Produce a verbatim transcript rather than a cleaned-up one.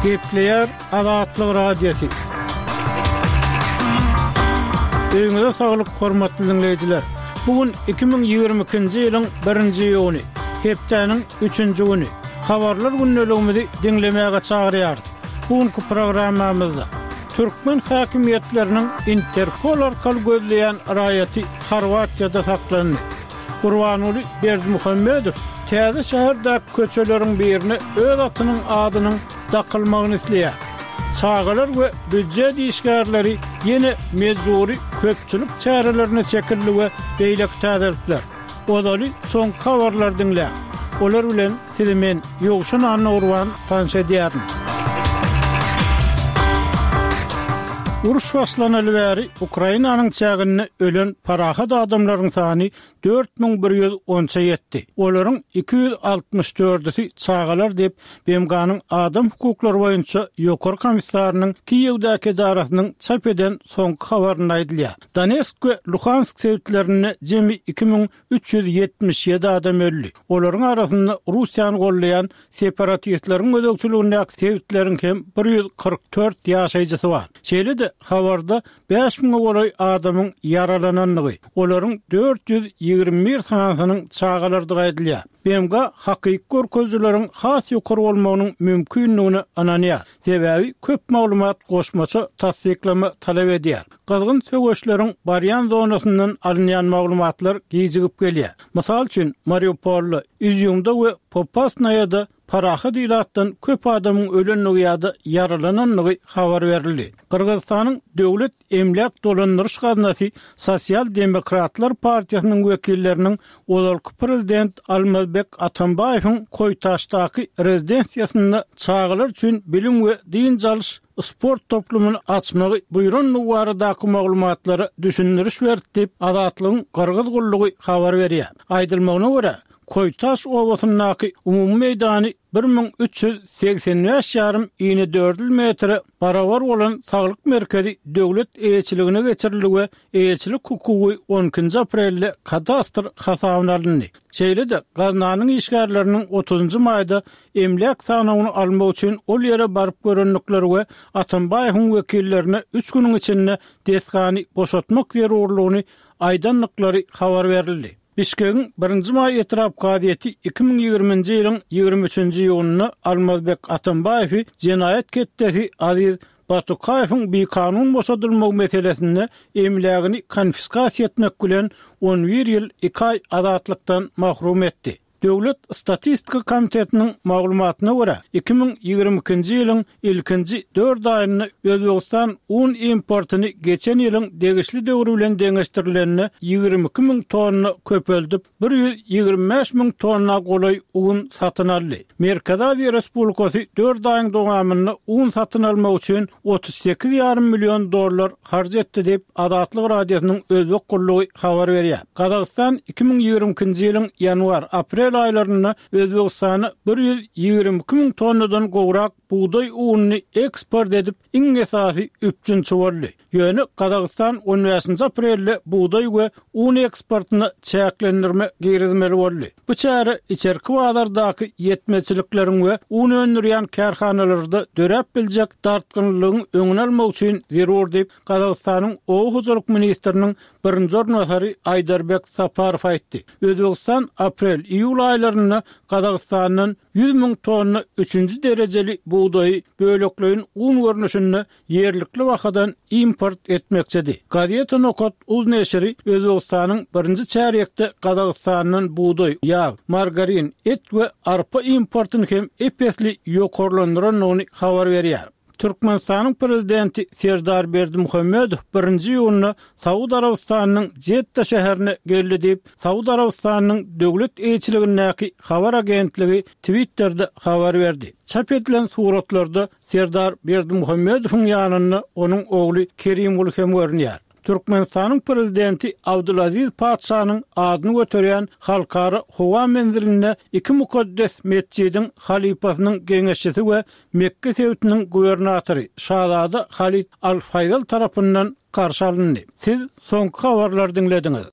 Gepleýär Azatlyk Radiosy. Öýüňize saglyk, hormatly diňleýjiler! Bu gün iki müň ýigrimi ikinji ýylyň birinji iýuny, hepdäniň üçünji güni. Habarlar gündeligimizi diňlemäge çagyrýarys. Bu günki programmamyzda türkmen häkimiýetleriniň Interpol arkaly gözleýän raýaty Horwatiýada saklandy. Gurbanguly Berdimuhamedow täze şäherdäki köçeleriň birine öz atynyň adynyň dakylmagyny isleýär. Çagalar we býujet işgärleri ýene mejbury köpçülik çärelerine çekildi we beýleki täzelikler. Ozaly soňky habarlary diňläň. Olar bilen sizi men, Ýowşan Annagurban tanyş edýärin. Uruş başlanaly bäri Ukrainanyň çäginde ölen parahat adamlaryň sany dört müň bir ýüz onça ýetdi. Olaryň iki ýüz altmyş dördüsi çagalar diýip, BMG-niň Adam hukuklary boýunça Ýokary komissarynyň Kiýewdäki edarasynyň çap eden soňky habarynda aýdylýar. Donetsk we Luhansk sebitlerinde jemi iki müň üç ýüz ýetmiş ýedi adam öldi. Olaryň arasynda Russiýany goldaýan separatistleriň gözegçiligindäki sebitleriň hem bir ýüz kyrk dört ýaşaýjysy bar. Şeýle-de, habarda bäş müňe golaý adamyň ýaralanandygy, olaryň dört ýüz ýigrimi bir sanysynyň çagalardygy aýdylýar. BMG hakyky görkezijileriň has ýokary bolmagynyň mümkindigine ynanýar, sebäbi köp maglumat goşmaça tassyklama talap edýär. Gyzgyn söweşleriň barýan zonasyndan alynýan maglumatlar gijigip gelýär. Mysal üçin, Mariupolda, Izýumda we Popasnaýada parahat ilatdan köp adamyň ölendigi ýa-da ýaralanandygy habar berildi. Gyrgyzystanyň Döwlet emläk dolandyryş gaznasy Sosial demokratlar partiýasynyň wekilleriniň ozalky prezident Almazbek Atambaýewiň Koýtaşdaky rezidensiýasynda çagalar üçin bilim we dynç alyş sport toplumyny açmagy buýrandygy baradaky maglumatlara düşündiriş berdi diýip, Azatlygyň Gyrgyz gullugy habar berýär. Aýdylmagyna görä, Koýtaş obasyndaky umumy meýdany bir müň üç ýüz segsen bäş ýarym inedördül metre barabar bolan saglyk merkezi döwlet eýeçiligine geçirildi we eýeçilik hukugy on ikinji aprelde kadastr hasabyna alyndy. Şeýle-de, gaznanyň işgärleriniň otuzynjy maýda emläk sanawyny almak üçin ol ýere baryp görendikleri we Atambaýewiň wekillerine üç günüň içinde desgany boşatmak zerurlygyny aýdandyklary habar berildi. Bişkegiň Birinji maý etrap kazyýeti iki müň ýigriminji ýylyň ýigrimi üçünji iýunynda Almazbek Atambaýewi jenaýat ketdesi Aziz Batukaýewiň bikanun boşadylmagy meselesinde emlägini konfiskasiýa etmek bilen on bir ýyl iki aý azatlykdan mahrum etdi. Döwlet statistika komitetiniň maglumatyna görä, iki müň ýigrimi ikinji ýylyň ilkinji dört aýynda Özbegistan un importyny geçen ýylyň degişli döwri bilen deňeşdirilende ýigrimi iki müň tonna köpeldip, bir ýüz ýigrimi bäş müň tonna golaý un satyn aldy. Merkezi Aziýa Respublikasy dört aýyň dowamynda un satyn almak üçin otuz sekiz ýarym million dollar harç etdi diýip, Azatlyk Radiosynyň Özbek gullugy habar berýär. Gazagystan iki müň ýigrimi ikinji ýylyň ýanwar, aprel aýlarynda Özbegistana bir ýüz ýigrimi iki müň tonnadan gowrak bugdaý ununy eksport edip, iň esasy üpjünçi boldy. Ýöne Gazagystan on bäşinji aprelde bugdaý we un eksportyna çäklendirme girizmeli boldy. Bu çäre içerki bazardaky ýetmezçilikleriň we un öndürýän kärhanalarda döräp biljek dartgynlylygyň öňüni almak üçin zerur diýip, Gazagystanyň oba hojalyk ministriniň birinji orunbasary Aýdarbek Saparow aýtdy. Özbegistan aprel, iýul aýlarynda Gazagystandan ýüz müň tonna üçünji derejeli bugdaýy bölekleýin un görnüşinde ýerlikli bahadan import etmekçidi. Gazeta Nokat uz neşiri Özbegistanyň birinji çärýekde Gazagystandan bugdaý, ýag, margarin, et we arpa importyny hem ep-esli ýokarlandyrandygyny habar berýär. Türkmenistanyň Prezidenti Serdar Berdimuhamedow birinji iýunda Saud Arabystanynyň Jedda şäherine geldi diýip, Saud Arabystanynyň döwlet eýeçiligindäki habar agentligi Twitterde habar berdi. Çap edilen suratlarda Serdar Berdimuhamedowyň ýanynda onuň ogly Kerimguly hem görünýär. Türkmenistanyň Prezidenti Abdulaziz patyşanyň adyny göterýän Halkara howa menzilinde iki mukaddes metjidiň halypasynyň geňeşçisi we Mekge sebitiniň gubernatory şazada Halid Al-Faýzal tarapyndan garşy alyndy. Siz soňky habarlary diňlediňiz.